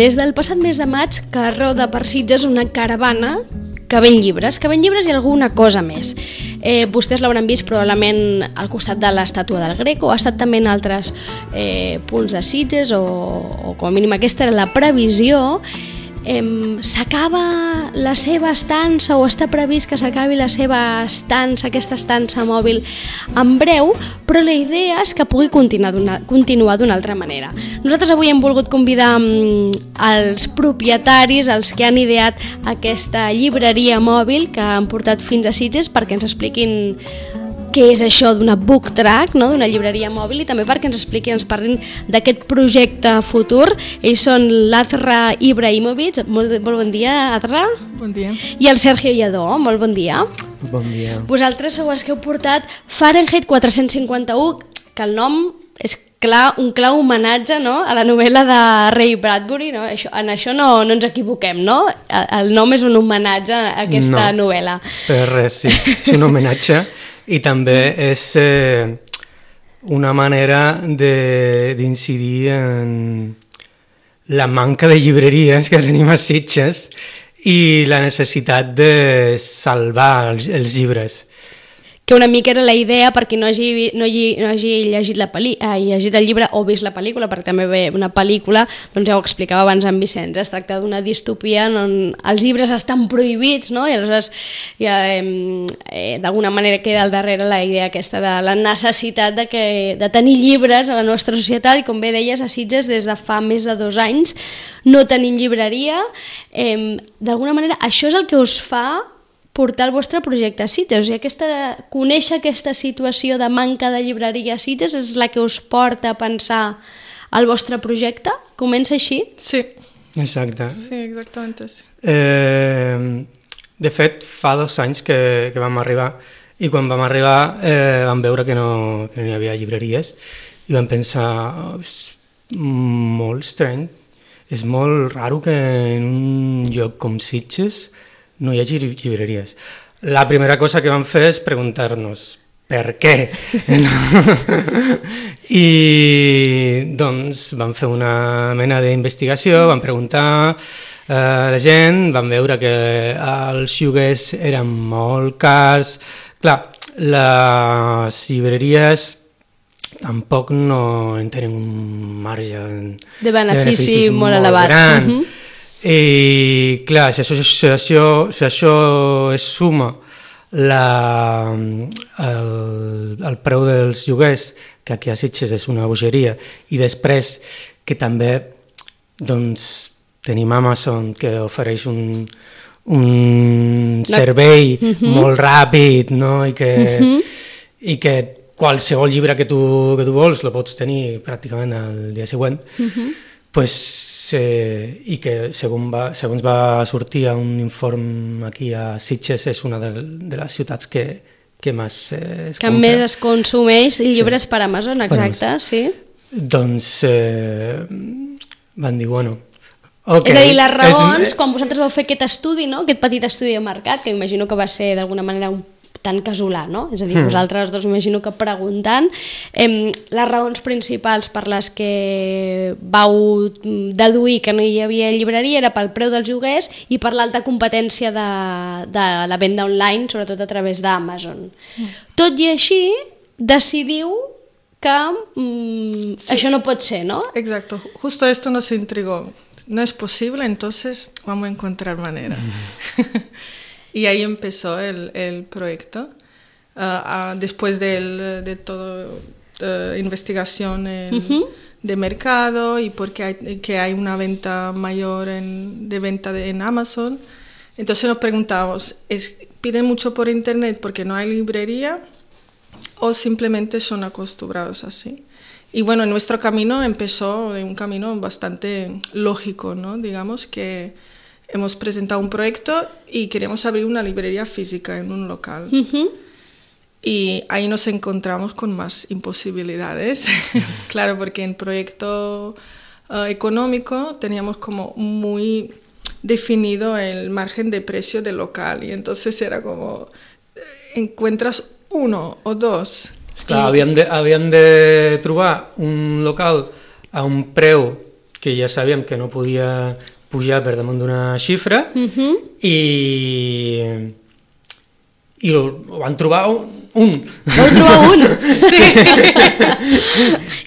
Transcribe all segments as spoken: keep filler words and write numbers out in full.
Des del passat mes de maig que roda per Sitges una caravana que ven llibres, que ven llibres i alguna cosa més. Eh, vostès l'hauran vist probablement al costat de l'estàtua del Greco, ha estat també en altres eh, punts de Sitges, o, o com a mínim aquesta era la previsió. Eh, s'acaba la seva estança, o està previst que s'acabi la seva estança, aquesta estança mòbil en breu, però la idea és que pugui continuar d'una, continuar d'una altra manera. Nosaltres avui hem volgut convidar um, els propietaris, els que han ideat aquesta llibreria mòbil que han portat fins a Sitges, perquè ens expliquin què és això d'una book track, no? D'una llibreria mòbil, i també perquè ens expliquin, ens parlin d'aquest projecte futur. Ells són l'Azra Ibrahimovic. Molt, molt bon dia, Azra. Bon dia. I el Sergio Lledó. Molt bon dia. Bon dia. Vosaltres sou els que heu portat Fahrenheit quatre-cents cinquanta-u, que el nom és clar, un clar homenatge, no?, a la novel·la de Ray Bradbury, no? Això, en això no, no ens equivoquem, no? El, el nom és un homenatge a aquesta no, novel·la. Per res, sí. És un homenatge i també és eh, una manera d'incidir en la manca de llibreries que tenim a Sitges i la necessitat de salvar els, els llibres. Que una mica era la idea, per qui no hagi, no hagi, no hagi llegit, la peli, eh, llegit el llibre o vist la pel·lícula, perquè també ve una pel·lícula, doncs ja ho explicava abans en Vicenç, es tracta d'una distopia on els llibres estan prohibits, no? I aleshores ja, eh, d'alguna manera queda al darrere la idea aquesta de la necessitat de, que, de tenir llibres a la nostra societat, i com bé deies, a Sitges des de fa més de dos anys no tenim llibreria. Eh, d'alguna manera això és el que us fa portar el vostre projecte a Sitges, o sigui, aquesta, conèixer aquesta situació de manca de llibreria a Sitges és la que us porta a pensar el vostre projecte? Comença així? Sí. Exacte. Sí, exactament. Sí. Eh, de fet, fa dos anys que, que vam arribar, i quan vam arribar eh, vam veure que no, que no hi havia llibreries, i vam pensar, oh, és molt estrany, és molt raro que en un lloc com Sitges no hi hagi llibreries. La primera cosa que vam fer és preguntar-nos per què. I doncs vam fer una mena d'investigació, vam preguntar eh, a la gent, vam veure que els lloguers eren molt cars. Clar, les llibreries tampoc no en tenen un marge de benefici molt, molt elevat. Gran. Uh-huh. I clar, si això, si això, si això es suma la, el, el preu dels lloguers, que aquí a Sitges és una bogeria, i després que també doncs, tenim Amazon, que ofereix un, un servei uh-huh. molt ràpid, no? I, que, uh-huh. i que qualsevol llibre que tu, que tu vols lo pots tenir pràcticament el dia següent, uh-huh. pues, Eh, i que segons va, segons va sortir un informe aquí a Sitges és una de, de les ciutats que, que més eh, es que compra. més es consumeix llibres sí. per Amazon, exacte, per Amazon. Sí. Doncs eh, van dir, bueno, okay, és a dir, les raons, és, quan vosaltres vau fer aquest estudi, no? Aquest petit estudi de mercat, que imagino que va ser d'alguna manera un tan casolà, no? És a dir, hmm. vosaltres dos imagino que preguntant eh, les raons principals per les que vau deduir que no hi havia llibreria era pel preu dels lloguers i per l'alta competència de, de la venda online, sobretot a través d'Amazon. Hmm. Tot i així, decidiu que mm, sí. això no pot ser, ¿no? Exacto, justo esto nos intrigó. No es posible, entonces vamos a encontrar manera. Mm. Y ahí empezó el, el proyecto. Uh, uh, después del, de toda uh, investigación en, uh-huh. de mercado y porque hay, que hay una venta mayor en, de venta de, en Amazon, entonces nos preguntamos, ¿es, ¿piden mucho por internet porque no hay librería o simplemente son acostumbrados así? Y bueno, nuestro camino empezó en un camino bastante lógico, ¿no? Digamos que hemos presentado un proyecto y queremos abrir una librería física en un local. Uh-huh. Y ahí nos encontramos con más imposibilidades. Claro, porque en proyecto uh, económico teníamos como muy definido el margen de precio del local. Y entonces era como, encuentras uno o dos. Clar, I... havíem, de, havíem de trobar un local a un preu que ja sabíem que no podia pujar per damunt d'una xifra Uh-huh. i, i ho, ho van trobar un. Vau trobar un? Sí.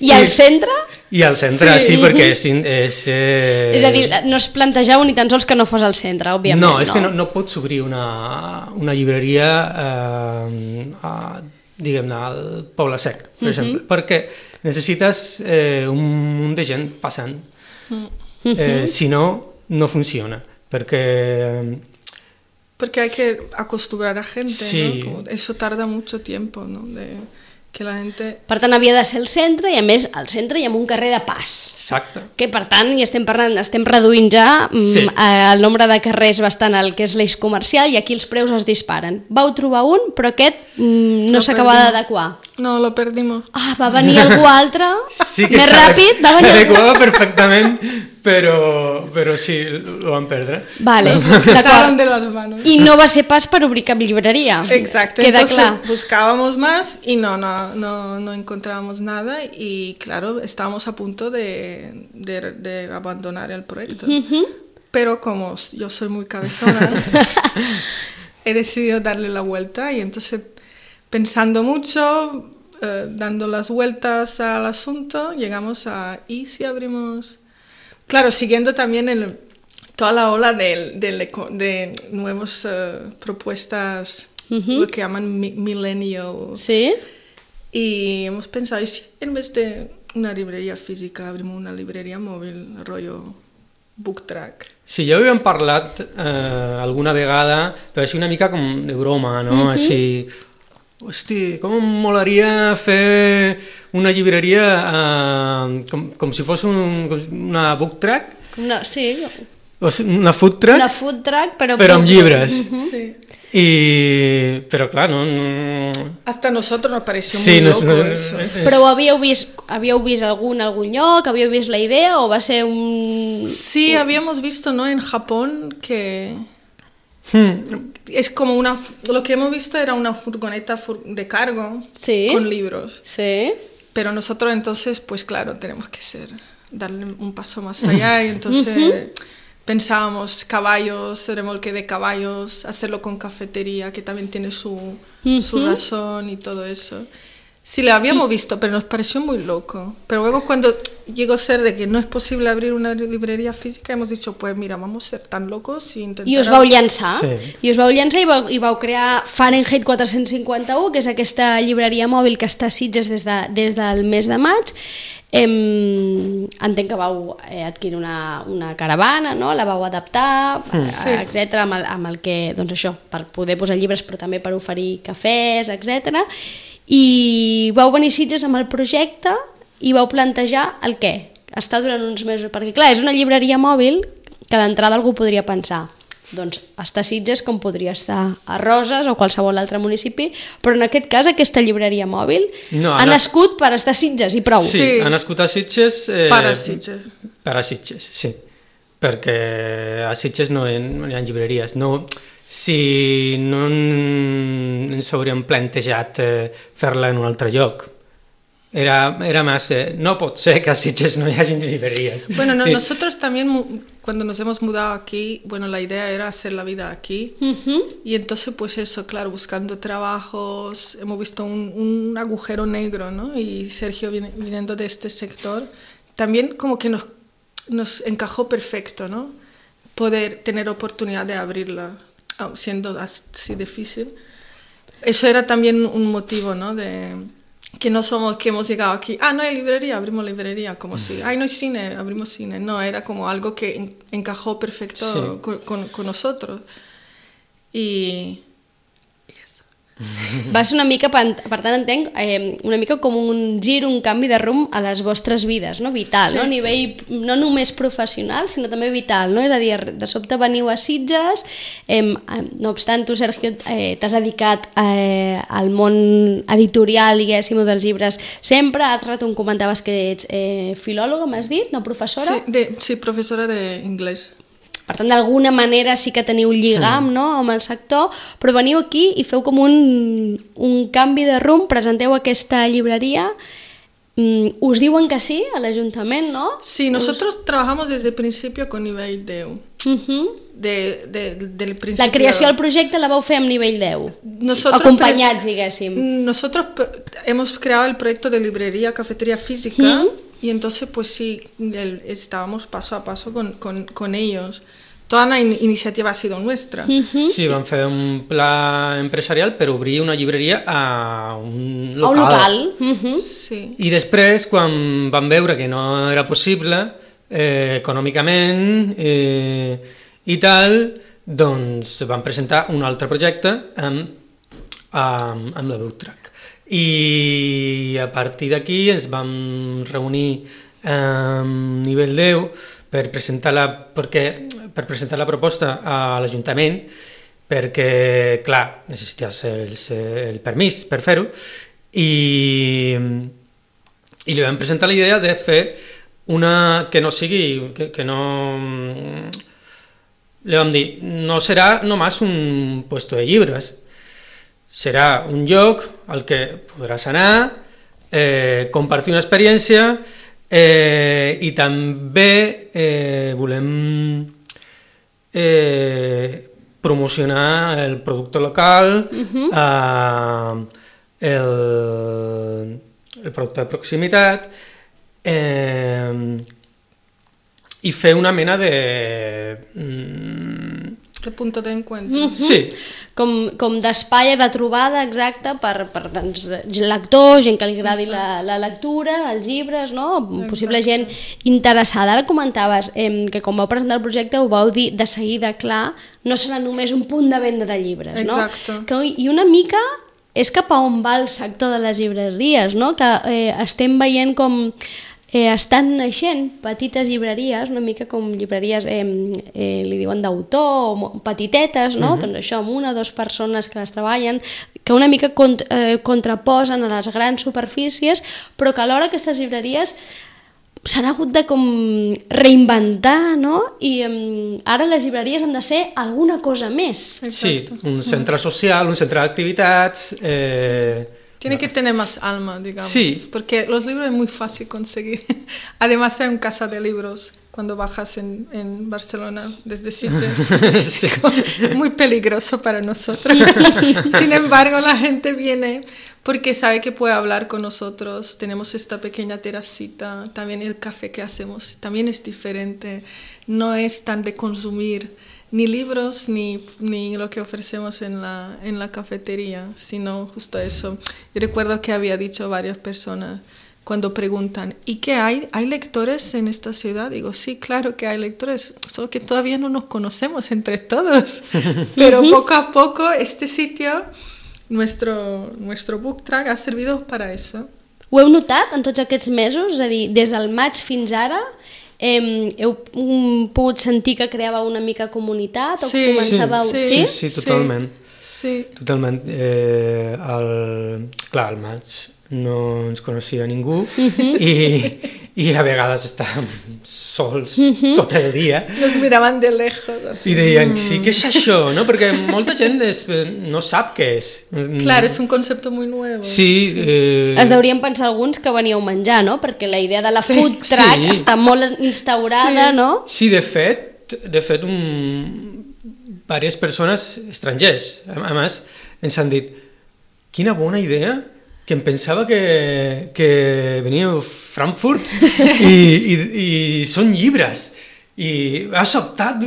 I al centre? I al centre, sí, sí perquè és... És, eh... és a dir, no es plantejava ni tan sols que no fos al centre, òbviament. No, és no? que no, no pots obrir una, una llibreria eh, a, diguem-ne, al Poble Sec, per uh-huh. exemple, perquè necessites eh, un munt de gent passant. Uh-huh. Eh, si no, no funciona, perquè... Porque hay que acostumbrar a gente, sí. ¿no? Como eso tarda mucho tiempo, ¿no? De que la gente... Per tant, havia de ser el centre i, a més, al centre hi ha un carrer de pas. Exacte. Que, per tant, hi estem parlant, estem reduint ja sí. el nombre de carrers bastant al que és l'eix comercial i aquí els preus es disparen. Vau trobar un, però aquest mm, no s'acabava d'adequar. No, lo perdimos. Ah, va venir algú altre, sí que més ràpid, va venir... S'adequava perfectament, però, però sí, lo van perdre. Vale, d'acord. de las manos. I no va ser pas per obrir cap llibreria. Exacto, queda entonces clar. Buscábamos más y no, no, no, no encontrábamos nada y claro, estábamos a punto de, de, de abandonar el proyecto. Uh-huh. Pero como yo soy muy cabezona, he decidido darle la vuelta y entonces pensando mucho, eh, dando las vueltas al asunto, llegamos a ¿y si abrimos? Claro, siguiendo también el, toda la ola de, de, de nuevas uh, propuestas, uh-huh. lo que llaman mi, millennial. Sí. Y hemos pensado, ¿y si en vez de una librería física abrimos una librería móvil, rollo book track? Sí, ja ho havíem parlat eh, alguna vegada, però així una mica com de broma, no? Uh-huh. Així, hosti, com em molaria fer una llibreria eh, com, com si fos un, una book track? No, sí. O sigui, una food track? Una food track, però... Però amb llibres. Uh-huh. Sí. I... Però clar, no... no... Hasta nosotros nos pareció sí, muy no, loco no, no, eso. és... Però ho havíeu vist, havíeu vist algun, algun lloc? Havíeu vist la idea o va ser un... Sí, habíamos visto, ¿no? En Japón que... Hmm. Es como una... Lo que hemos visto era una furgoneta fur- de cargo sí. con libros. Sí. Pero nosotros entonces, pues claro, tenemos que ser... darle un paso más allá y entonces... Uh-huh. Pensábamos caballos, remolque de caballos, hacerlo con cafetería, que también tiene su, uh-huh. su razón y todo eso. Sí, lo habíamos visto, pero nos pareció muy loco. Pero luego cuando llegó a ser de que no es posible abrir una librería física, hemos dicho, pues mira, vamos a ser tan locos y intentar... I us vau llançar, sí. i us vau llançar i vau, i vau crear Fahrenheit quatre-cents cinquanta-u, que és aquesta llibreria mòbil que està a Sitges des, de, des del mes de maig. Em, entenc que vau eh, adquirir una, una caravana, no? La vau adaptar, mm. sí. etcètera, amb el, amb el que, doncs això, per poder posar llibres però també per oferir cafès, etcètera. I vau venir a Sitges amb el projecte i vau plantejar el què? Està durant uns mesos, perquè clar, és una llibreria mòbil que d'entrada algú podria pensar, doncs està a Sitges com podria estar a Roses o qualsevol altre municipi, però en aquest cas aquesta llibreria mòbil no, ha nascut per estar a Sitges i prou. Sí, sí. Ha nascut a Sitges... Eh, per a Sitges. Per a Sitges, sí. Perquè a Sitges no hi, no hi ha llibreries. No, si no ens hauríem plantejat eh, fer-la en un altre lloc. Era, era más, eh, no pot ser que a Sitges no haya librerías. Bueno, no, nosotros también cuando nos hemos mudado aquí, bueno, la idea era hacer la vida aquí. Uh-huh. Y entonces, pues eso, claro, buscando trabajos, hemos visto un, un agujero negro, ¿no? Y Sergio viniendo de este sector, también como que nos, nos encajó perfecto, ¿no? Poder tener oportunidad de abrirla, siendo así difícil. Eso era también un motivo, ¿no? De... que no somos que hemos llegado aquí, ah, no hay librería, abrimos librería, como si, ay, no hay cine, abrimos cine. No, era como algo que en, encajó perfecto sí. con, con, con nosotros. Y... Va ser una mica, per tant entenc, eh, una mica com un gir, un canvi de rumb a les vostres vides, no? Vital, sí. no? A nivell no només professional, sinó també vital, no? És a dir, de sobte veniu a Sitges, eh, no obstant tu, Sergio, eh, t'has dedicat eh, al món editorial, diguéssim, dels llibres sempre, has rato em comentaves que ets eh, filòloga, m'has dit, no professora? Sí, de, sí professora d'inglès. Per tant, d'alguna manera sí que teniu un lligam no, amb el sector, però veniu aquí i feu com un, un canvi de rumb, presenteu aquesta llibreria Mm, us diuen que sí a l'Ajuntament, no? Sí, nosotros us... trabajamos desde el principio con nivell deu. Uh-huh. De, de, del principio. La creació del projecte la vau fer amb nivell deu. Nosotros acompanyats, diguéssim. Nosotros hemos creado el proyecto de librería, cafetería física, uh-huh. y entonces pues sí, el, estábamos paso a paso con, con, con ellos. Toda la in iniciativa ha sido nuestra. Uh-huh. Sí, vam fer un pla empresarial per obrir una llibreria a un local. A un local. Uh-huh. Sí. I després, quan vam veure que no era possible, eh, econòmicament eh, i tal, doncs vam presentar un altre projecte amb, amb, amb la Book Track. I a partir d'aquí ens vam reunir amb nivell deu per presentar la, perquè, per presentar la proposta a l'Ajuntament, perquè, clar, necessites el, el permís per fer-ho, i, i li vam presentar la idea de fer una que no sigui, que, que no... Le vam dir, no serà només un puesto de llibres, serà un lloc al que podràs anar, eh, compartir una experiència, Eh, i també eh, volem eh, promocionar el producte local, uh-huh. eh, el, el producte de proximitat, eh, i fer una mena de... Mm, de punto de encuentro. Uh-huh. Sí. Com, com d'espai de trobada exacta per, per doncs, lectors, gent que li agradi la, la lectura, els llibres, no? Possible gent interessada. Ara comentaves eh, que quan vau presentar el projecte ho vau dir de seguida clar, no serà només un punt de venda de llibres, no? Exacte. Que, I una mica és cap a on va el sector de les llibreries, no? Que eh, estem veient com eh, estan naixent petites llibreries, una mica com llibreries, eh, eh, li diuen d'autor, o petitetes, no? Uh-huh. Doncs això, amb una o dues persones que les treballen, que una mica cont eh, contraposen a les grans superfícies, però que alhora aquestes llibreries s'han hagut de com reinventar, no? I um, ara les llibreries han de ser alguna cosa més. Exacto. Sí, un centre social, un centre d'activitats... Eh... Tiene que tener más alma, digamos, sí. Porque los libros es muy fácil conseguir. Además hay un casa de libros cuando bajas en, en Barcelona desde Sitges. Sí. Muy peligroso para nosotros. Sin embargo, la gente viene porque sabe que puede hablar con nosotros. Tenemos esta pequeña terracita, también el café que hacemos también es diferente. No es tan de consumir ni libros ni, ni lo que ofrecemos en la, en la cafetería, sino justo eso. Yo recuerdo que había dicho a varias personas cuando preguntan, ¿y qué hay? ¿Hay lectores en esta ciudad? Digo, sí, claro que hay lectores, solo que todavía no nos conocemos entre todos. Pero poco a poco este sitio, nuestro, nuestro Book Track, ha servido para eso. Ho heu notat en tots aquests mesos? És a dir, des del maig fins ara... Eh, heu um, pogut sentir que creava una mica comunitat? O sí, començàveu... sí, sí, sí, sí, totalment. Sí. Totalment. Eh, el, clar, al maig no ens coneixia ningú uh-huh. i, i a vegades estàvem sols uh-huh. tot el dia. Nos miraven de lejos. Así. I deien, sí, què és això? No? Perquè molta gent es, no sap què és. Clar, és un concepte molt nou. Sí. Eh... Es deurien pensar alguns que veníeu a menjar, no? Perquè la idea de la sí. food truck sí. està molt instaurada, sí. no? Sí, de fet, de fet un... diverses persones estrangers, a més, ens han dit, quina bona idea, que em pensava que, que veníeu a Frankfurt i, i, i són llibres y ha sobtat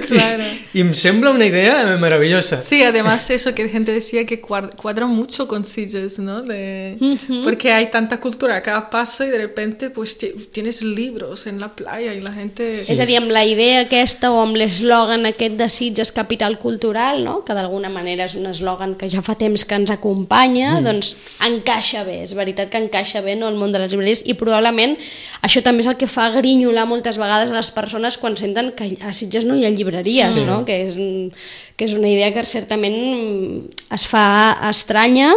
claro. y, y me sembla una idea maravillosa. Sí, además eso que gente decía que cuadra mucho con Sitges, ¿no? De, uh-huh. Porque hay tanta cultura a cada paso y de repente pues tienes libros en la playa y la gente... Sí. És a dir, amb la idea aquesta o amb l'eslògan aquest de Sitges capital cultural, no? Que d'alguna manera és un eslògan que ja fa temps que ens acompanya, mm. doncs encaixa bé, és veritat que encaixa bé, no, el món de les llibreries, i probablement això també és el que fa grinyolar moltes vegades a les persones quan senten que a Sitges no hi ha llibreries, sí. no? Que és, que és una idea que certament es fa estranya,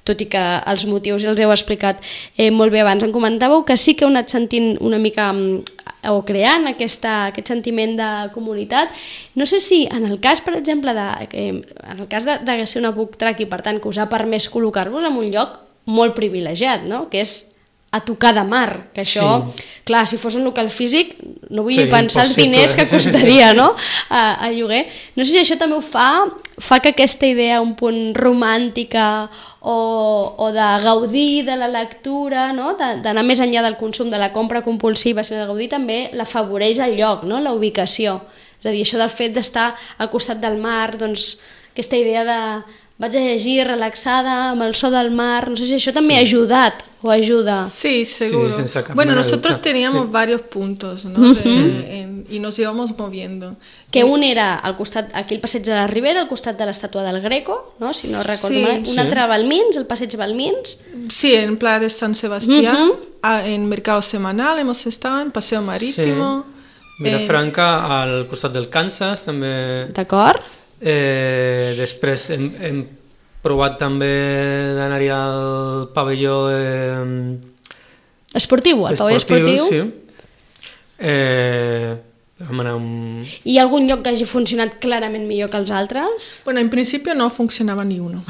tot i que els motius ja els heu explicat eh, molt bé abans. Em comentàveu que sí que heu anat sentint una mica o creant aquesta, aquest sentiment de comunitat. No sé si en el cas, per exemple, de, en el cas de, de ser una book track i per tant que us ha permès col·locar-vos en un lloc molt privilegiat, no? Que és a tocar de mar, que això, sí. clar, si fos un local físic, no vull Seria pensar els diners que costaria, no?, a, a lloguer. No sé si això també ho fa, fa que aquesta idea un punt romàntica o, o de gaudir de la lectura, no?, d'anar més enllà del consum, de la compra compulsiva, sinó de gaudir també l'afavoreix el lloc, no?, la ubicació. És a dir, això del fet d'estar al costat del mar, doncs aquesta idea de vaig a llegir relaxada amb el so del mar, no sé si això també sí. ha ajudat o ajuda. Sí, seguro. Sí, bueno, nosotros teníamos sí. varios puntos, ¿no? Uh-huh. de, en, y nos íbamos moviendo. Que un era al costat, aquí el passeig de la Ribera, al costat de l'estàtua del Greco, no? Si no recordo sí, mal. Un sí. altre a Balmins, el passeig Balmins. Sí, en Playa de San Sebastián, uh-huh. en Mercado Semanal hemos estado, en Paseo Marítimo. Sí. Vilafranca, eh... al costat del Kansas, també. D'acord. Eh, després hem, hem provat també d'anar-hi al pavelló eh, esportiu, al pavelló esportiu. Sí. Eh, vam anar un... ¿Y algún lloc que hagi funcionat clarament millor que els altres? Bueno, en principio no funcionaba ni uno.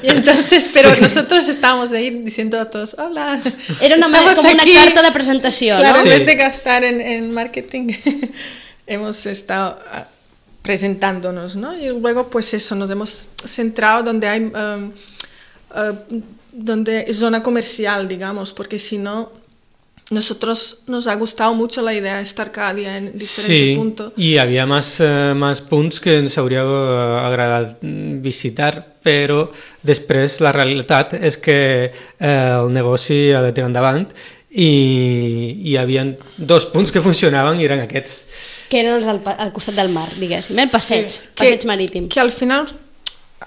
Y entonces, pero sí. nosotros estábamos ahí diciendo a todos, hola. Era una manera, como aquí, una carta de presentación, claro, ¿no? en vez de gastar en, en marketing, hemos estado presentándonos, ¿no? Y luego, pues eso, nos hemos centrado donde hay, um, uh, donde es zona comercial, digamos, porque si no, nosotros nos ha gustado mucho la idea de estar cada día en diferentes sí, puntos. Sí, y había más, uh, más punts que ens hauria agradat visitar, però després la realitat és que eh, el negoci ha de tirar endavant i hi havia dos punts que funcionaven i eren aquests. Que eren els al, al costat del mar, diguéssim, el passeig, sí, passeig que, marítim. Que al final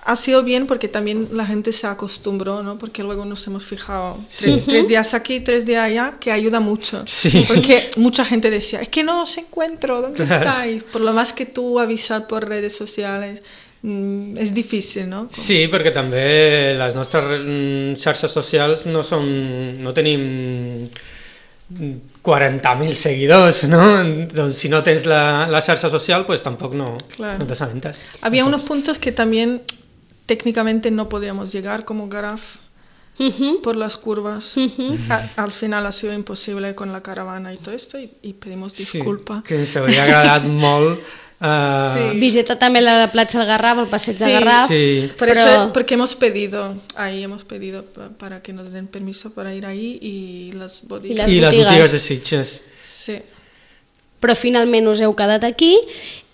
ha sido bien porque también la gente se acostumbró, ¿no? Porque luego nos hemos fijado tres, uh-huh. tres días aquí, tres días allá, que ayuda mucho. Sí. Porque mucha gente decía, es que no os encuentro, ¿dónde estáis? Por lo más que tú avisar por redes sociales, mmm, és difícil, no? Com... Sí, perquè també les nostres xarxes socials no són, no tenim quaranta mil seguidors, ¿no? Entonces, si no tens la, la xarxa social, pues tampoco no, claro. no te aventas. Había no unos puntos que también técnicamente no podríamos llegar, como Garraf, uh-huh. por las curvas. Uh-huh. A, al final ha sido imposible con la caravana y todo esto, y, y pedimos disculpa. Sí, que ens hauria agradat molt. Uh... Sí. Visita també la platja del Garraf, el passeig sí, de Garraf. Sí. Por pero... eso, porque hemos pedido, ahí hemos pedido para que nos den permiso para ir ahí y las bodegas. I les, I les botigues de Sitges. Sí. Però finalment us heu quedat aquí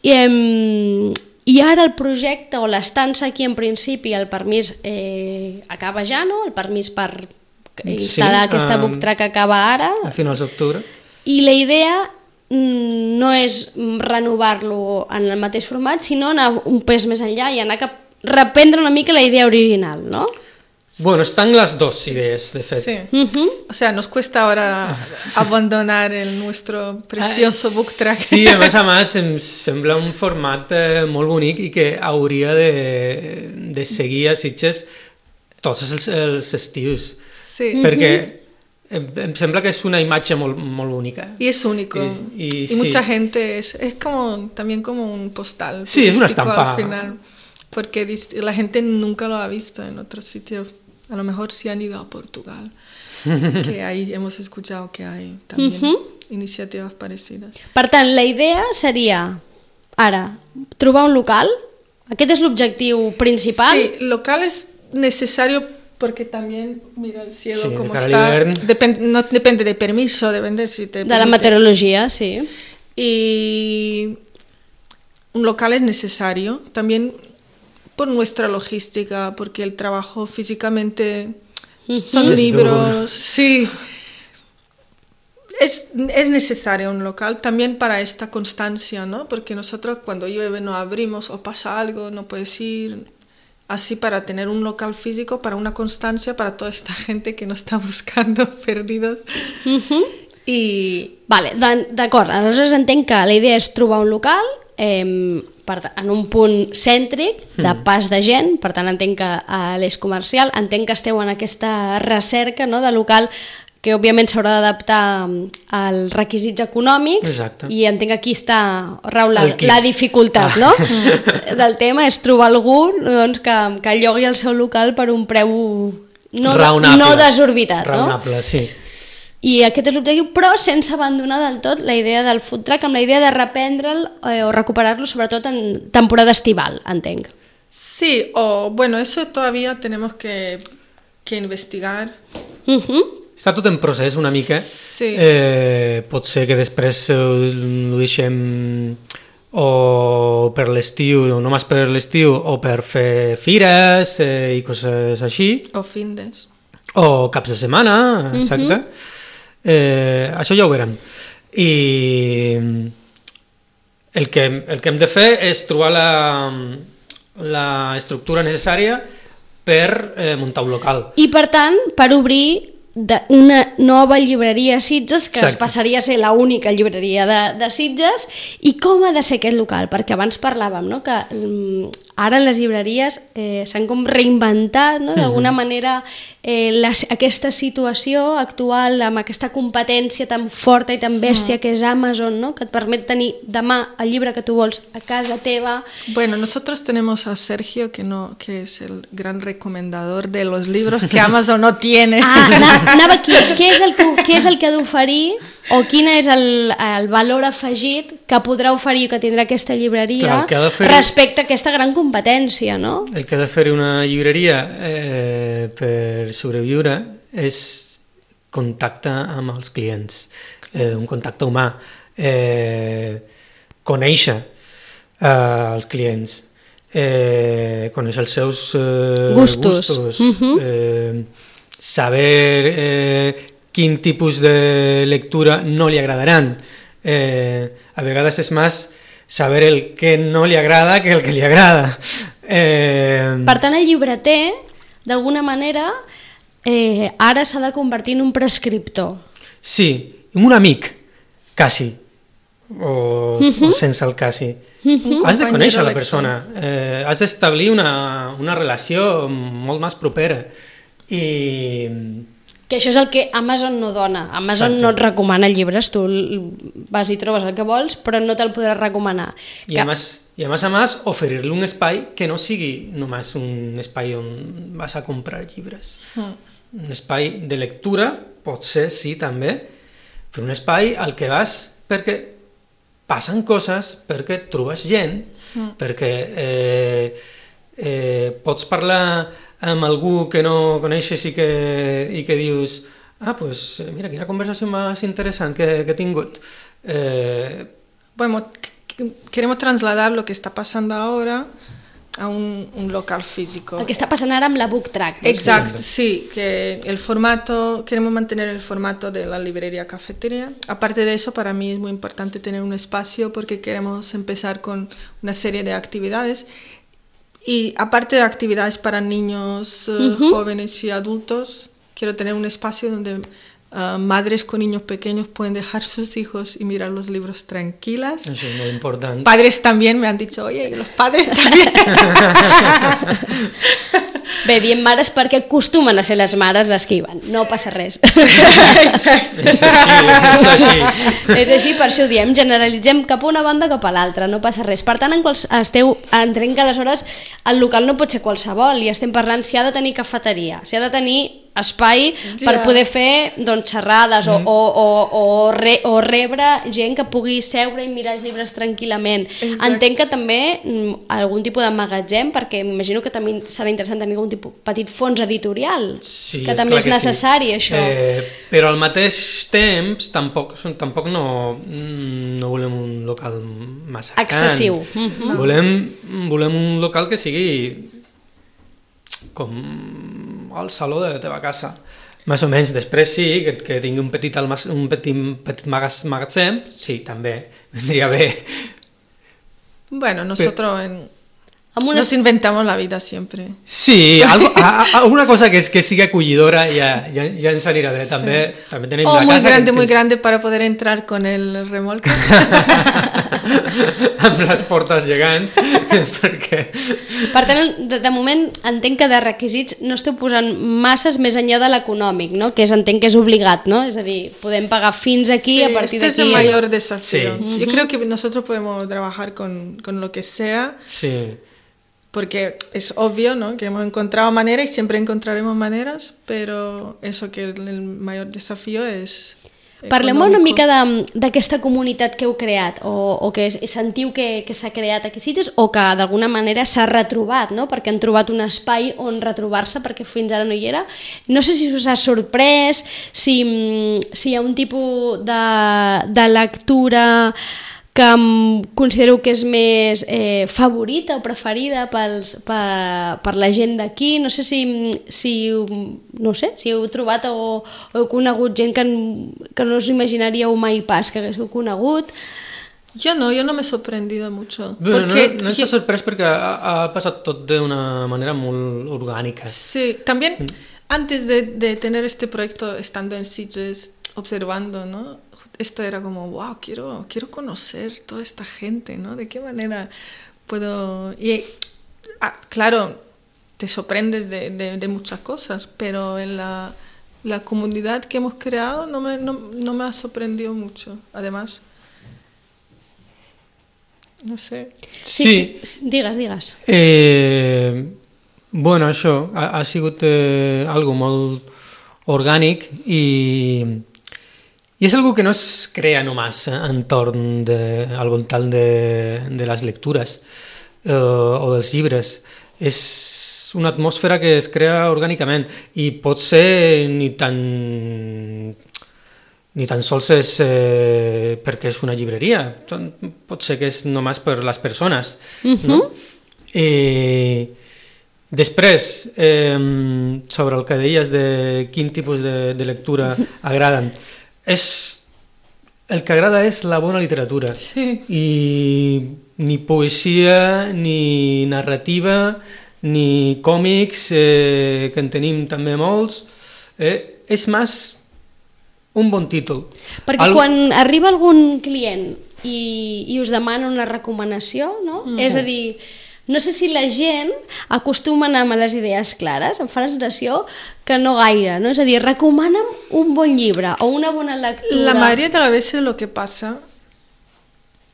i, eh, i ara el projecte o l'estança aquí en principi, el permís eh, acaba ja, no? El permís per instal·lar sí, aquesta um, book track acaba ara. A finals d'octubre. I la idea no és renovar-lo en el mateix format, sinó anar un pes més enllà i anar cap reprendre una mica la idea original, ¿no? Bueno, están las dos ideas, de fet. Sí. Uh-huh. O sea, nos cuesta ahora abandonar el nuestro precioso book track. Sí, a més a més em sembla un format eh, molt bonic i que hauria de, de seguir a Sitges tots els, els estius. Sí. Perquè em, em sembla que és una imatge molt, molt bonica. Y es único. Y, y, y sí. mucha gente, es, es como, también como un postal. Sí, es una estampa. Al final, porque la gente nunca lo ha visto en otros sitios. A lo mejor sí han ido a Portugal, que ahí hemos escuchado que hay también uh-huh. iniciativas parecidas. Per tant, la idea seria, ara, trobar un local? Aquest és l'objectiu principal? Sí, local es necesario porque también, mira el cielo sí, como está, depend, no depende de permiso, depende si te... De la meteorología, sí. Y un local es necesario, también... por nuestra logística, porque el trabajo físicamente son es libros, duro. Sí, es, es necesario un local también para esta constancia, ¿no? Porque nosotros cuando llueve no abrimos o pasa algo, no puedes ir, así para tener un local físico, para una constancia, para toda esta gente que nos está buscando perdidos. Uh-huh. I... Vale, d'acord, aleshores entenc que la idea és trobar un local eh, en un punt cèntric de pas de gent, per tant entenc que a l'eix comercial, entenc que esteu en aquesta recerca, no, de local que òbviament s'haurà d'adaptar als requisits econòmics. Exacte. I entenc que aquí està rau la, la dificultat, no? del tema, és trobar algú doncs, que, que llogui el seu local per un preu no, raonable, no desorbitat, raonable, no? sí. I aquest és l'objectiu, però sense abandonar del tot la idea del food truck, amb la idea de reprendre'l eh, o recuperar-lo sobretot en temporada estival, entenc. Sí, o bueno, eso todavía tenemos que, que investigar. Uh-huh. Està tot en procés una mica. Sí. Eh, pot ser que després eh, ho deixem o per l'estiu, o només per l'estiu, o per fer fires eh, i coses així. O findes. O caps de setmana, exacte. Uh-huh. Eh, això ja ho veurem. I el que, el que hem de fer és trobar la, la estructura necessària per eh, muntar un local. I per tant, per obrir de una nova llibreria a Sitges, que Exacte. passaria a ser l'única llibreria de, de Sitges. I com ha de ser aquest local? Perquè abans parlàvem, no?, que um, ara les llibreries eh, s'han com reinventat, no?, d'alguna manera eh, les, aquesta situació actual amb aquesta competència tan forta i tan bèstia que és Amazon, no?, que et permet tenir demà el llibre que tu vols a casa teva. Bueno, nosotros tenemos a Sergio, que, no, que es el gran recomendador de los libros que Amazon no tiene. Ah, anava aquí. Què és el que, què és el que ha d'oferir o quin és el, el valor afegit que podrà oferir o que tindrà aquesta llibreria Clar, fer... respecte a aquesta gran competència, no? El que ha de fer una llibreria eh, per sobreviure és contacte amb els clients, eh, un contacte humà, eh, conèixer eh, els clients, eh, conèixer els seus eh, gustos, gustos uh-huh. eh, saber eh, quin tipus de lectura no li agradaran. Eh, a vegades és més saber el que no li agrada que el que li agrada. Eh... Per tant, el llibreter, d'alguna manera, eh, ara s'ha de convertir en un prescriptor. Sí, un amic, quasi, o, uh-huh. o sense el quasi. Uh-huh. Has de conèixer la lector. persona, eh, has d'establir una, una relació molt més propera. I... Que això és el que Amazon no dona. Amazon Exacte. no et recomana llibres, tu vas i trobes el que vols, però no te'l podràs recomanar. I, que... a més, i a més a més oferir-li un espai que no sigui només un espai on vas a comprar llibres. Mm. Un espai de lectura, pot ser, sí, també, però un espai al que vas perquè passen coses, perquè trobes gent, mm. perquè eh, eh, pots parlar amb algú que no coneixes i que, i que dius ah, pues mira, quina conversació més interessant que, que he tingut. Eh... Bueno, queremos trasladar lo que está pasando ahora a un, un local físico. El que está pasando ahora amb la Book Track. Exacto, sí, que el formato, queremos mantener el formato de la librería cafetería. Aparte de eso, para mí es muy importante tener un espacio porque queremos empezar con una serie de actividades. Y aparte de actividades para niños, uh, uh-huh. jóvenes y adultos, quiero tener un espacio donde uh, madres con niños pequeños pueden dejar sus hijos y mirar los libros tranquilas. Eso es muy importante. Padres también me han dicho, oye, los padres también. Bé, diem mares perquè acostumen a ser les mares les que hi van, no passa res. Exacte. És així, és així. És així, per això ho diem, generalitzem cap a una banda cap a l'altra, no passa res. Per tant, en quals esteu, entenc que aleshores el local no pot ser qualsevol i estem parlant si ha de tenir cafeteria, si ha de tenir espai ja. per poder fer doncs, xerrades mm. o, o, o, o, re, o rebre gent que pugui seure i mirar els llibres tranquil·lament. Exacte. Entenc que també mm, algun tipus de magatzem, perquè m'imagino que també serà interessant tenir algun tipus petit fons editorial, sí, que és també és que necessari, sí. això. Eh, però al mateix temps tampoc, tampoc no, no volem un local massa excessiu. gran. Mm-hmm. Volem, volem un local que sigui com al saló de la teva casa, més o menys. Després sí, que, que tingui un petit, almac un petit, petit magatzem, sí, també vendria bé. Bueno, nosotros Pero, en, una... nos inventamos la vida siempre. Sí, algo, a, a, alguna cosa que, es, que sigui acollidora ja, ja, ja ens anirà bé. També, sí. també tenim o la muy casa grande, que, muy que... grande para poder entrar con el remolque. amb les portes gegants perquè... Per tant, de, de moment entenc que de requisits no esteu posant masses més enllà de l'econòmic, no? Que és, entenc que és obligat, no? És a dir, podem pagar fins aquí sí, a partir d'aquí. Este es el mayor desafío. Sí. Yo creo que nosotros podemos trabajar con, con lo que sea. Sí. porque es obvio, ¿no?, que hemos encontrado maneras y siempre encontraremos maneras, pero eso que el mayor desafío es... Parlem una mica d'aquesta comunitat que heu creat o, o que sentiu que, que s'ha creat aquí a Sitges o que d'alguna manera s'ha retrobat, no? Perquè han trobat un espai on retrobar-se perquè fins ara no hi era. No sé si us ha sorprès, si, si hi ha un tipus de, de lectura que considereu que és més eh, favorita o preferida pels, per, per la gent d'aquí. No sé si, si, no sé, si heu trobat o, o heu conegut gent que, que no us imaginaríeu mai pas que haguéssiu conegut. Yo no, yo no me he sorprendido mucho. Bueno, porque no no s'ha sorprès perquè ha, ha passat tot d'una manera molt orgànica. Sí, también antes de, de tener este proyecto, estando en Sitges, observando, ¿no? Esto era como, wow, quiero, quiero conocer toda esta gente, ¿no? ¿De qué manera puedo...? Y ah, claro, te sorprendes de, de, de muchas cosas, pero en la, la comunidad que hemos creado no me, no, no me ha sorprendido mucho, además. No sé. Sí. sí. Digues, digues. Eh, bueno, això ha, ha sigut eh, algo molt orgànic i... I és algo que no es crea només entorn de, al voltant de, de les lectures eh, o dels llibres. És una atmosfera que es crea orgànicament i pot ser ni tan, ni tan sols és eh, perquè és una llibreria. Pot ser que és només per les persones. Uh-huh. No? Eh, després, eh, sobre el que deies de quin tipus de, de lectura agraden, és, el que agrada és la bona literatura. Sí. I ni poesia, ni narrativa, ni còmics, eh, que en tenim també molts, eh, és més un bon títol. Perquè Al... quan arriba algun client i, i us demana una recomanació, no? Mm. És a dir, no sé si la gent acostuma a anar amb les idees clares, em fa la sensació que no gaire, ¿no? És a dir, recomana'm un bon llibre o una bona lectura. La mayoría de las veces lo que pasa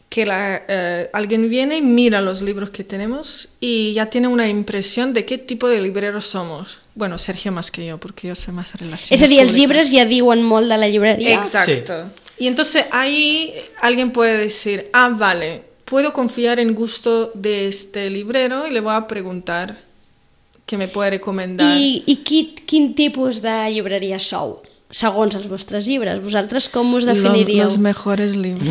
que la, eh, alguien viene y mira los libros que tenemos y ya tiene una impresión de qué tipo de libreros somos. Bueno, Sergio más que yo, porque yo sé más relaciones. És a dir, els llibres ja diuen molt de la llibreria. Exacto. Sí. Y entonces ahí alguien puede decir, ah, vale, puedo confiar en gusto de este librero y le voy a preguntar què me puede recomendar. I, i quin, quin tipus de llibreria sou, segons els vostres llibres? Vosaltres com us definiríeu? Los, los mejores libros.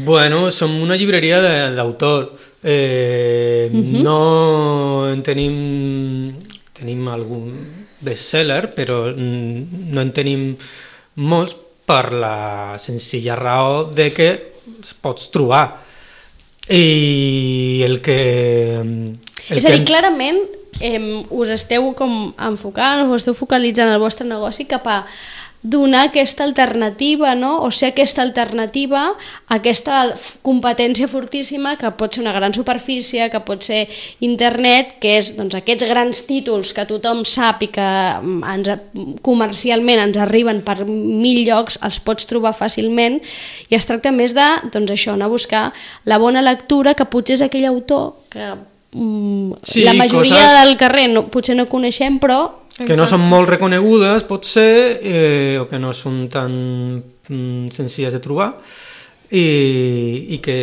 Bueno, som una llibreria d'autor. Eh, uh-huh. No en tenim... Tenim algun bestseller, però no en tenim molts per la senzilla raó de que es pots trobar. I el que... El és a dir, que... clarament eh, us esteu com enfocant, us esteu focalitzant el vostre negoci cap a donar aquesta alternativa, no? O ser aquesta alternativa a aquesta competència fortíssima que pot ser una gran superfície, que pot ser internet, que és doncs, aquests grans títols que tothom sap i que ens, comercialment ens arriben per mil llocs, els pots trobar fàcilment i es tracta més de, doncs això, anar a buscar la bona lectura que potser és aquell autor que mm, sí, la majoria coses... del carrer no, potser no coneixem, però que no són molt reconegudes, pot ser, eh, o que no són tan mm, senzilles de trobar, i, i que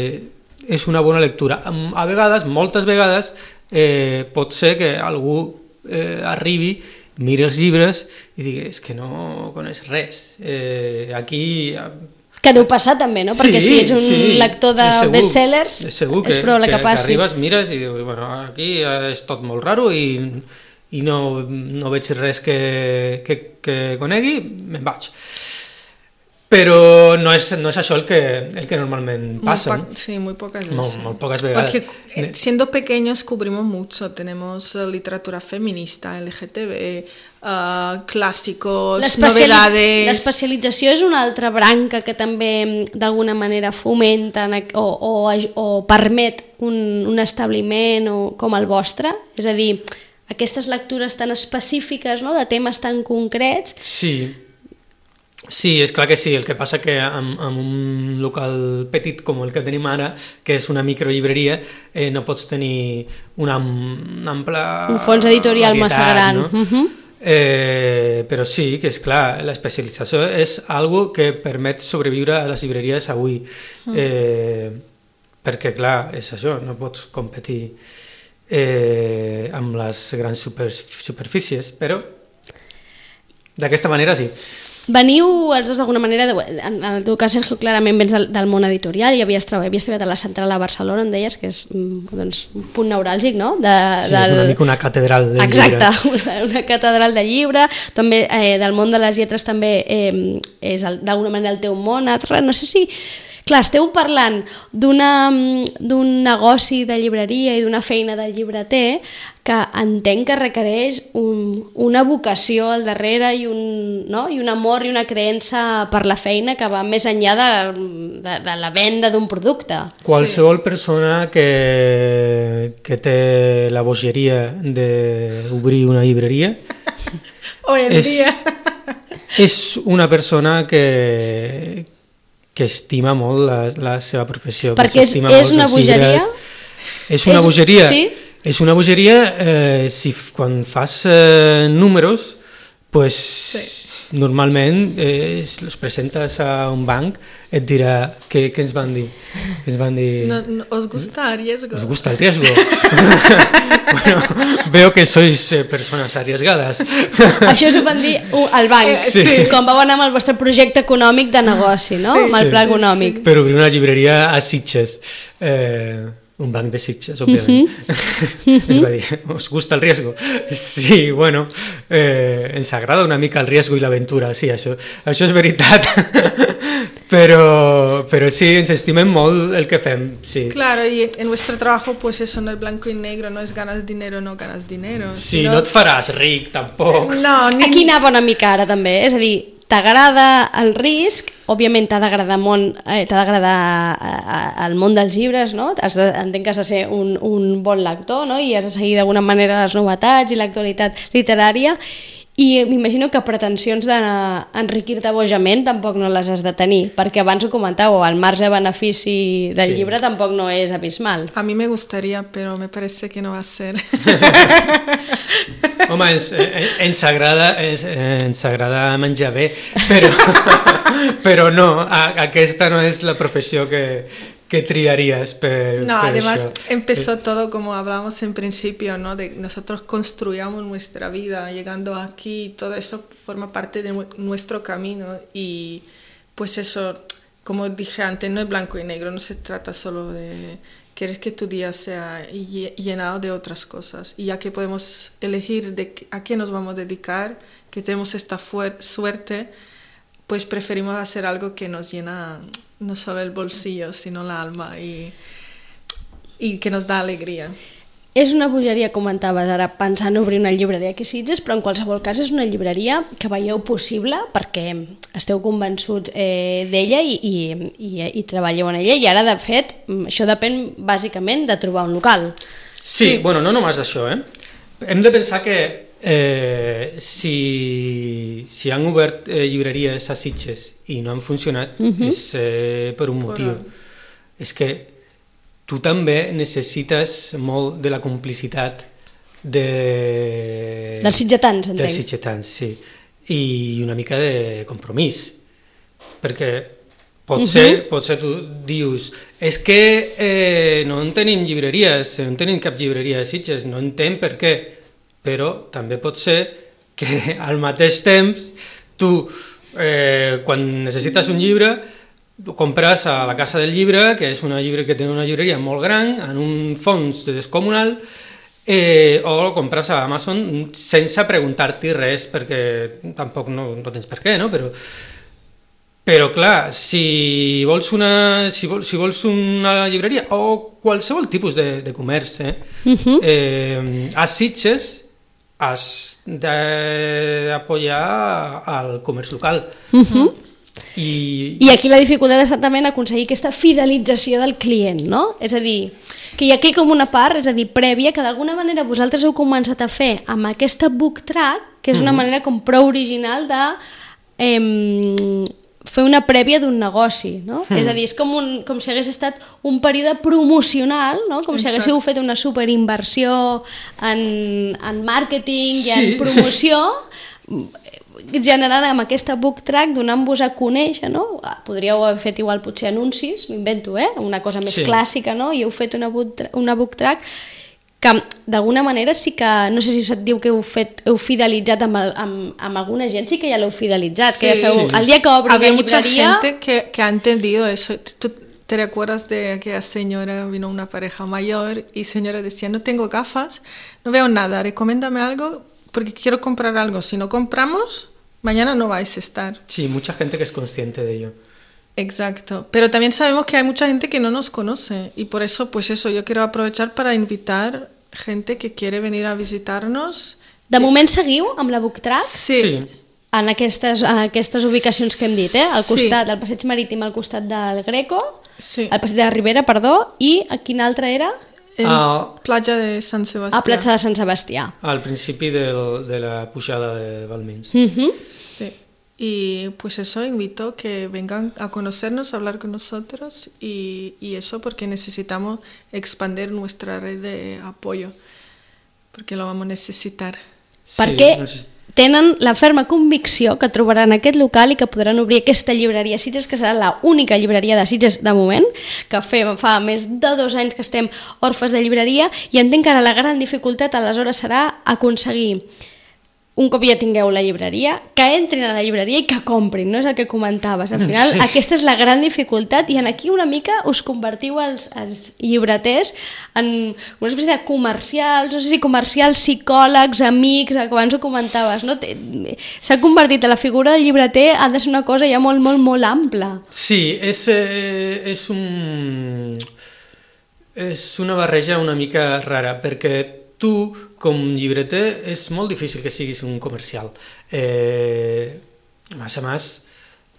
és una bona lectura. A vegades, moltes vegades, eh, pot ser que algú eh, arribi, miri els llibres i digui, és que no coneix res. Eh, aquí... Que deu passar també, no? Perquè sí, si ets un sí, lector de segur, bestsellers, és, segur que, és probable que, que passi. Que arribes, mires i dius, bueno, aquí és tot molt raro i... i no, no veig res que, que, que conegui, me'n vaig. Però no és, no és això el que, el que normalment pasa. Muy ¿no? Sí, muy pocas veces. Muy, muy pocas veces. Porque siendo pequeños cubrimos mucho. Tenemos uh, literatura feminista, L G T B, uh, clàssicos, novedades... L'especialització és una altra branca que també d'alguna manera fomenta o, o, o permet un, un establiment o, com el vostre? És a dir, aquestes lectures tan específiques, no?, de temes tan concrets. Sí, Sí, és clar que sí, el que passa que amb, amb un local petit com el que tenim ara, que és una microlibreria, eh, no pots tenir una, una ampla un fons editorial varietat, massa gran. No? Uh-huh. eh, però sí, que és clar, l'especialització és algo que permet sobreviure a les llibreries avui, uh-huh. eh, perquè clar, és això, no pots competir eh, amb les grans super, superfícies, però d'aquesta manera sí. Veniu els dos d'alguna manera, en el teu cas, Sergio, clarament vens del, del món editorial i havies treballat, havies treballat a la Central a Barcelona, on deies que és doncs, un punt neuràlgic, no? De, sí, del... és una mica una catedral de Exacte, llibre. Exacte, una, una catedral de llibre. També eh, del món de les lletres també eh, és d'alguna manera el teu món. No sé si... Clar, esteu parlant d'un negoci de llibreria i d'una feina de llibreter que entenc que requereix un, una vocació al darrere i un, no? I un amor i una creença per la feina que va més enllà de, de, de la venda d'un producte. Qualsevol sí. persona que, que té la bogeria d'obrir una llibreria hoy en és, dia és una persona que que estima molt la, la seva professió. Perquè és, és una bogeria? És una és, bogeria. Sí? És una bogeria, eh, si quan fas eh, números, pues, sí. normalment eh, els presentes a un banc, et dirà què, què ens van dir. Ens van dir... No, no, ¿Os gusta el riesgo? ¿Os gusta el riesgo? Bueno, veo que sois eh, persones arriesgades. Això us ho van dir al banc, sí. Sí. Com vau anar amb el vostre projecte econòmic de negoci, no? Sí, amb el pla econòmic. Sí. Per obrir una llibreria a Sitges. Eh, un banc de Sitges, òbviament. Uh-huh. Ens va dir, ¿os gusta el riesgo? Sí, bueno, eh, ens agrada una mica el riesgo i l'aventura, sí, això, això és veritat. Pero, pero sí, ens estimem molt el que fem, sí. Claro, y en nuestro trabajo pues eso no es blanco y negro, no es ganas dinero, no ganas dinero. Sí, sino... no et faràs ric, tampoc. No, ni... Aquí anava una mica ara també, és a dir, t'agrada el risc, òbviament t'ha d'agradar eh, t'ha d'agradar el món dels llibres, no? Has de, entenc que has de ser un, un bon lector, no? I has de seguir d'alguna manera les novetats i l'actualitat literària. I m'imagino que pretensions d'enriquir-te bojament tampoc no les has de tenir, perquè abans ho comentàveu, el marge de benefici del sí. llibre tampoc no és abismal. A mi me gustaría, però me parece que no va a ser. Home, ens, ens, agrada, ens, ens agrada menjar bé, però, però no, aquesta no és la professió que... ¿Qué triarías? Per, no, per además eso? empezó todo como hablábamos en principio, ¿no? De nosotros construíamos nuestra vida, llegando aquí, todo eso forma parte de nuestro camino y pues eso, como dije antes, no es blanco y negro, no se trata solo de querer que tu día sea llenado de otras cosas y ya que podemos elegir de a qué nos vamos a dedicar, que tenemos esta suerte, pues preferimos hacer algo que nos llena no solo el bolsillo, sino l'alma i, i que nos da alegria. És una bogeria, comentaves ara, pensant obrir una llibreria aquí a Sitges, però en qualsevol cas és una llibreria que veieu possible perquè esteu convençuts eh, d'ella i, i, i, i treballeu en ella i ara, de fet, això depèn bàsicament de trobar un local. Sí, sí. Bueno, no només d'això, eh? Hem de pensar que Eh, si, si han obert eh, llibreries a Sitges i no han funcionat uh-huh. és eh, per un motiu. Però... És que tu també necessites molt de la complicitat de... dels sitgetans, entenc. Dels sitgetans, sí. I una mica de compromís. Perquè pot ser, uh-huh. pot ser tu dius és que eh, no en tenim llibreries, no en tenim cap llibreria a Sitges, no entenc per què. Però també pot ser que al mateix temps tu, eh, quan necessites un llibre, ho compres a la Casa del Llibre, que és una llibre que té una llibreria molt gran, en un fons descomunal, eh, o ho compres a Amazon sense preguntar-t'hi res, perquè tampoc no, no tens per què, no? Però, però clar, si vols una, si vols, si vols una llibreria o qualsevol tipus de, de comerç, eh, uh-huh. eh, a Sitges has d'apoyar el comerç local. Uh-huh. I... I aquí la dificultat és exactament aconseguir aquesta fidelització del client, no? És a dir, que hi ha aquí com una part, és a dir, prèvia, que d'alguna manera vosaltres heu començat a fer amb aquesta book track, que és una uh-huh. manera com prou original de eh, fer una prèvia d'un negoci, no? Mm. És a dir, és com, un, com si hagués estat un període promocional, no? Com Exacte. Si haguéssiu fet una superinversió en, en màrqueting sí. i en promoció, generant amb aquesta book track, donant-vos a conèixer, no? Podríeu haver fet igual potser anuncis, m'invento, eh? Una cosa més sí. clàssica, no? I heu fet una book, una book track que d'alguna manera sí que, no sé si us diu que heu, fet, heu fidelitzat amb, el, amb, amb alguna gent, sí que ja l'heu fidelitzat, sí, que ja sabeu, sí. el dia que obri Había la llibreria... mucha gente que, que ha entendido eso. ¿Tú te recuerdas de aquella señora, vino una pareja mayor y señora decía, no tengo gafas, no veo nada, recomiéndame algo porque quiero comprar algo, si no compramos, mañana no vais a estar. Sí, mucha gente que es consciente de ello. Exacto, pero también sabemos que hay mucha gente que no nos conoce y por eso, pues eso, yo quiero aprovechar para invitar gente que quiere venir a visitarnos. De moment seguiu amb la book track? Sí. sí. En aquestes, en aquestes ubicacions que hem dit, eh? Al costat, sí. al passeig marítim, al costat del Greco, sí. al passeig de la Ribera, perdó, i a quina altra era? En uh, platja de Sant Sebastià. A platja de Sant Sebastià. Al principi del, de la pujada de Balmins. Uh-huh. Sí. Y pues eso, invito que vengan a conocernos, a hablar con nosotros y, y eso porque necesitamos expandir nuestra red de apoyo, porque lo vamos a necesitar. Perquè sí, tenen la ferma convicció que trobaran aquest local i que podran obrir aquesta llibreria Sitges, que serà l'única llibreria de Sitges de moment, que fem, fa més de dos anys que estem orfes de llibreria, i entenc que ara la gran dificultat aleshores serà aconseguir, un cop ja tingueu la llibreria, que entrin a la llibreria i que comprin, no és el que comentaves. Al final, sí. aquesta és la gran dificultat i en aquí una mica us convertiu els, els llibreters en una espècie de comercials, no sé si comercials, psicòlegs, amics, que abans ho comentaves, no? S'ha convertit a la figura del llibreter, ha de ser una cosa ja molt, molt, molt ampla. Sí, és, eh, és un... és una barreja una mica rara, perquè tu, com llibreter, és molt difícil que siguis un comercial. Eh, más a más,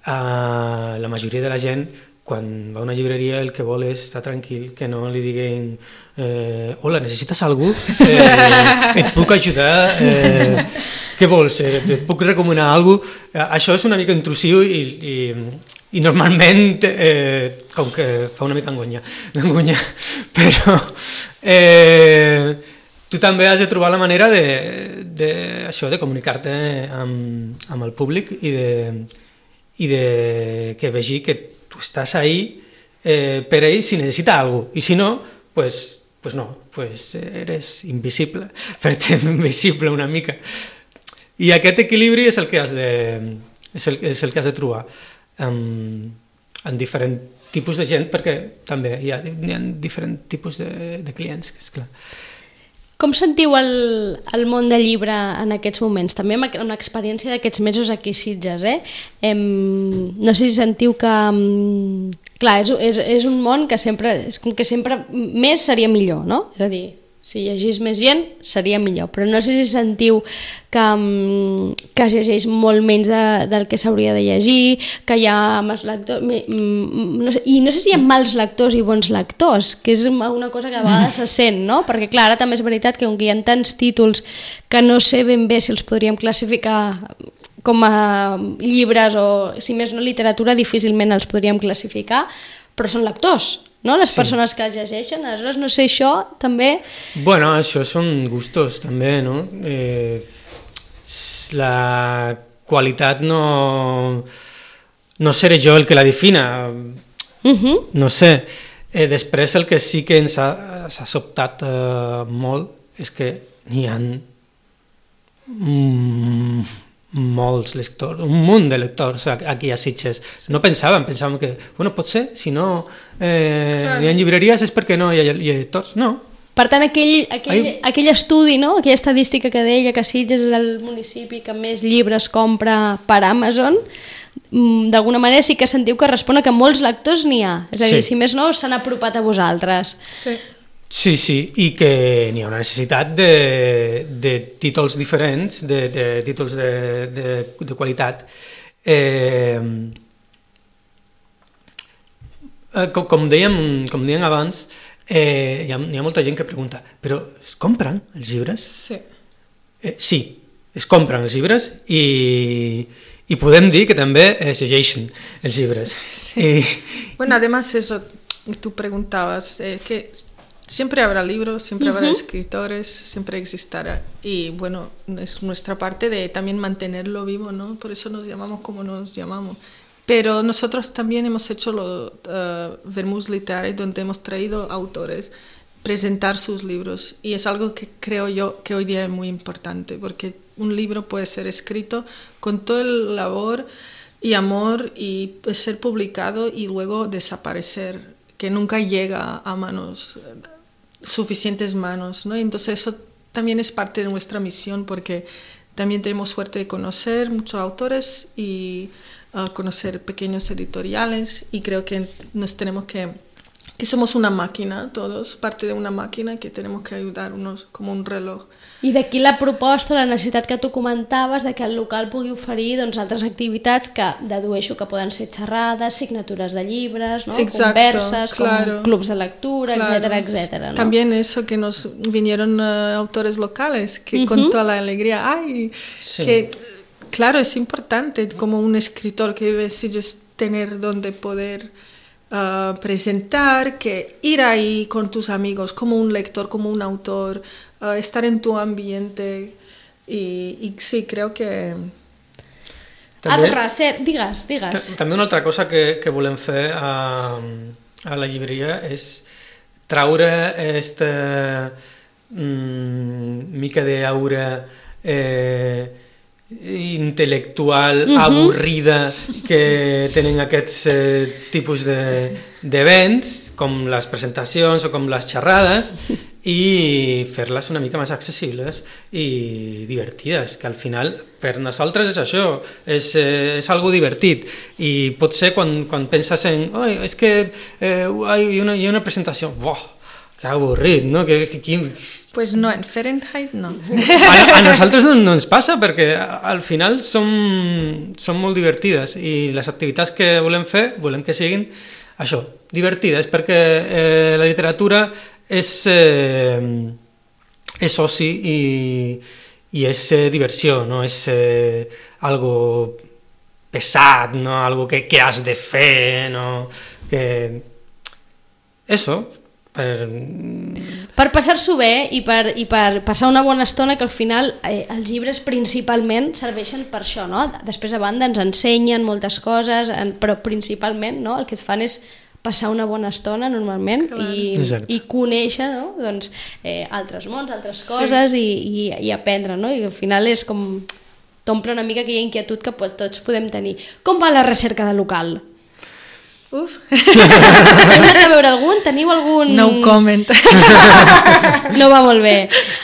eh, la majoria de la gent, quan va a una llibreria, el que vol és estar tranquil, que no li diguin eh, hola, necessites algú? Eh, et puc ajudar? Eh, què vols? Eh, et puc recomanar alguna cosa? Eh, això és una mica intrusiu i, i, i normalment, eh, com que fa una mica angonya, angonya però... Eh, tu també has de trobar la manera de, de, això, de comunicar-te amb, amb el públic i de, i de que vegi que tu estàs ahí eh, per ell si necessita alguna cosa. I si no, pues, pues no, pues eres invisible, fer-te invisible una mica. I aquest equilibri és el que has de, és el, és el que has de trobar en, en diferents tipus de gent, perquè també hi ha, hi ha diferents tipus de, de clients, que és clar. Com sentiu el, el món del llibre en aquests moments? També amb l'experiència d'aquests mesos aquí a Sitges, eh? Em, no sé si sentiu que... Clar, és, és, és un món que sempre, és com que sempre més seria millor, no? És a dir, si llegís més gent seria millor, però no sé si sentiu que, que es llegeix molt menys de, del que s'hauria de llegir, que hi ha mals lectors, no sé, i no sé si hi ha mals lectors i bons lectors, que és una cosa que a vegades se sent, no? Perquè clar, ara també és veritat que com que hi ha tants títols que no sé ben bé si els podríem classificar com a llibres o, si més no, literatura, difícilment els podríem classificar, però són lectors, no? Les sí. persones que els llegeixen, aleshores no sé, això també... Bueno, això són gustos també, no? Eh, la qualitat no... no seré jo el que la defina, uh-huh. no sé. Eh, després el que sí que ens ha, s'ha sobtat eh, molt és que n'hi ha mm, molts lectors, un munt de lectors aquí a Sitges. No pensàvem, pensàvem que, bueno, pot ser, si no eh, hi ha llibreries és perquè no hi ha, hi ha lectors, no. Per tant, aquell, aquell, aquell estudi, no? Aquella estadística que deia que Sitges és el municipi que més llibres compra per Amazon, d'alguna manera sí que sentiu que respon a que molts lectors n'hi ha. És a dir, sí. si més no, s'han apropat a vosaltres. Sí. Sí, sí, i que n'hi ha una necessitat de, de títols diferents, de, de títols de, de, de qualitat. Eh, com, com, dèiem, com dèiem abans, eh, hi, ha, hi ha molta gent que pregunta, però es compren els llibres? Sí. Eh, sí, es compren els llibres i, I podem dir que també es llegeixen els llibres. Sí. Y... Bueno, además eso, tú preguntabas, eh, que siempre habrá libros, siempre uh-huh. habrá escritores, siempre existará. Y bueno, es nuestra parte de también mantenerlo vivo, ¿no? Por eso nos llamamos como nos llamamos. Pero nosotros también hemos hecho los uh, Vermús Literari, donde hemos traído autores presentar sus libros. Y es algo que creo yo que hoy día es muy importante, porque un libro puede ser escrito con todo el labor y amor y puede ser publicado y luego desaparecer, que nunca llega a manos, suficientes manos, ¿no? Entonces eso también es parte de nuestra misión, porque también tenemos suerte de conocer muchos autores y uh, conocer pequeños editoriales, y creo que nos tenemos que que somos una máquina, todos, parte de una máquina, que tenemos que ayudarnos como un reloj. I d'aquí la proposta, la necessitat que tu comentaves de que el local pugui oferir doncs, altres activitats que dedueixo que poden ser xerrades, signatures de llibres, ¿no? Exacto, converses, claro, com clubs de lectura, claro. etcétera, etcétera, ¿no? También eso, que nos vinieron uh, autores locales, que uh-huh. con toda la alegría, ay, sí. que claro, es importante como un escritor que vive Sitges tener donde poder Uh, presentar, que ir ahí con tus amigos, como un lector, como un autor, uh, estar en tu ambiente, y, y sí, creo que... També, Adrecer, digues, digues. També una altra cosa que, que volem fer a, a la llibreria és traure aquesta mm, mica d'aura eh, intel·lectual, uh-huh. avorrida que tenen aquests eh, tipus d'events, de, com les presentacions o com les xerrades, i fer-les una mica més accessibles i divertides, que al final per nosaltres és això, és, eh, és algo divertit, i pot ser quan, quan penses en oh, és que eh, hi, ha una, hi ha una presentació, boh, que avorrit, no? Que, que, que... Pues no, en Fahrenheit no. A, a nosaltres no, no ens passa, perquè al final som, som molt divertides, i les activitats que volem fer, volem que siguin això, divertides, perquè eh, la literatura és, eh, és oci i, i és eh, diversió, no és eh, algo pesat, no? Algo que, que has de fer, no? Que... Eso... Per, per passar-s'ho bé i per, i per passar una bona estona, que al final eh, els llibres principalment serveixen per això, no? Després a banda ens ensenyen moltes coses, en, però principalment, no? El que et fan és passar una bona estona normalment i, i conèixer, no? Doncs, eh, altres mons, altres coses, sí. i, i, i aprendre, no? I al final és com t'omple una mica aquella inquietud que pot, tots podem tenir. Com va la recerca de local? Uf. Heu anat a veure algun? Teniu algun... No comment. No va molt bé.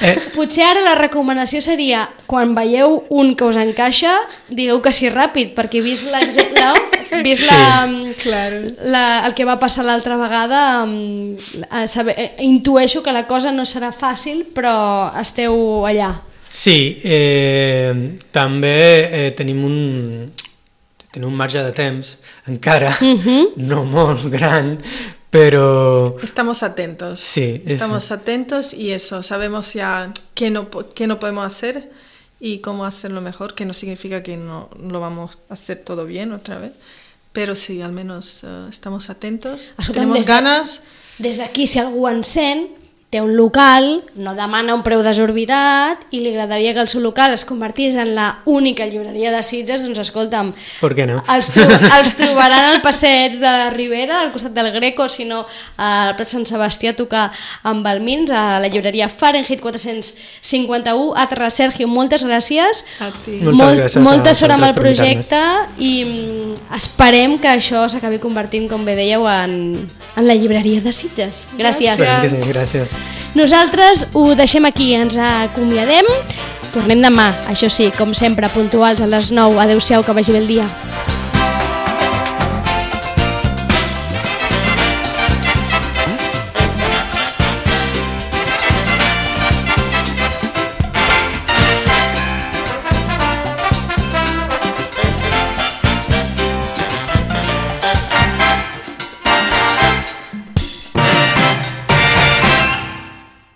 Eh. Potser ara la recomanació seria, quan veieu un que us encaixa, digueu que sí ràpid, perquè vist l'exemple, no? Vist sí. la, claro. la, el que va passar l'altra vegada, saber, intueixo que la cosa no serà fàcil, però esteu allà. Sí, eh, també eh, tenim un... tenim un marge de temps, encara, uh-huh. no molt gran, pero... Estamos atentos. Sí. Estamos eso. atentos y eso, sabemos ya qué no, qué no podemos hacer y cómo hacerlo mejor, que no significa que no lo vamos a hacer todo bien otra vez, pero sí, al menos uh, estamos atentos, Escolta'm, tenemos des de, ganas... Des d'aquí, si algú en sent, té un local, no demana un preu desorbitat i li agradaria que el seu local es convertís en la única llibreria de Sitges, doncs escolta'm, ¿por qué no? els, tro els trobaran al passeig de la Ribera, al costat del Greco, si no al Prat Sant Sebastià, a tocar amb el Mins, a la llibreria Fahrenheit quatre-cents cinquanta-u. Atra, Sergio, moltes gràcies. A ti. Moltes Molt, gràcies molta sort amb el per projecte i esperem que això s'acabi convertint, com bé dèieu, en, en la llibreria de Sitges. Gràcies. Gràcies. Sí, gràcies. Nosaltres ho deixem aquí, ens acomiadem. Tornem demà, això sí, com sempre, puntuals a les nou. Adéu-siau, que vagi bé el dia.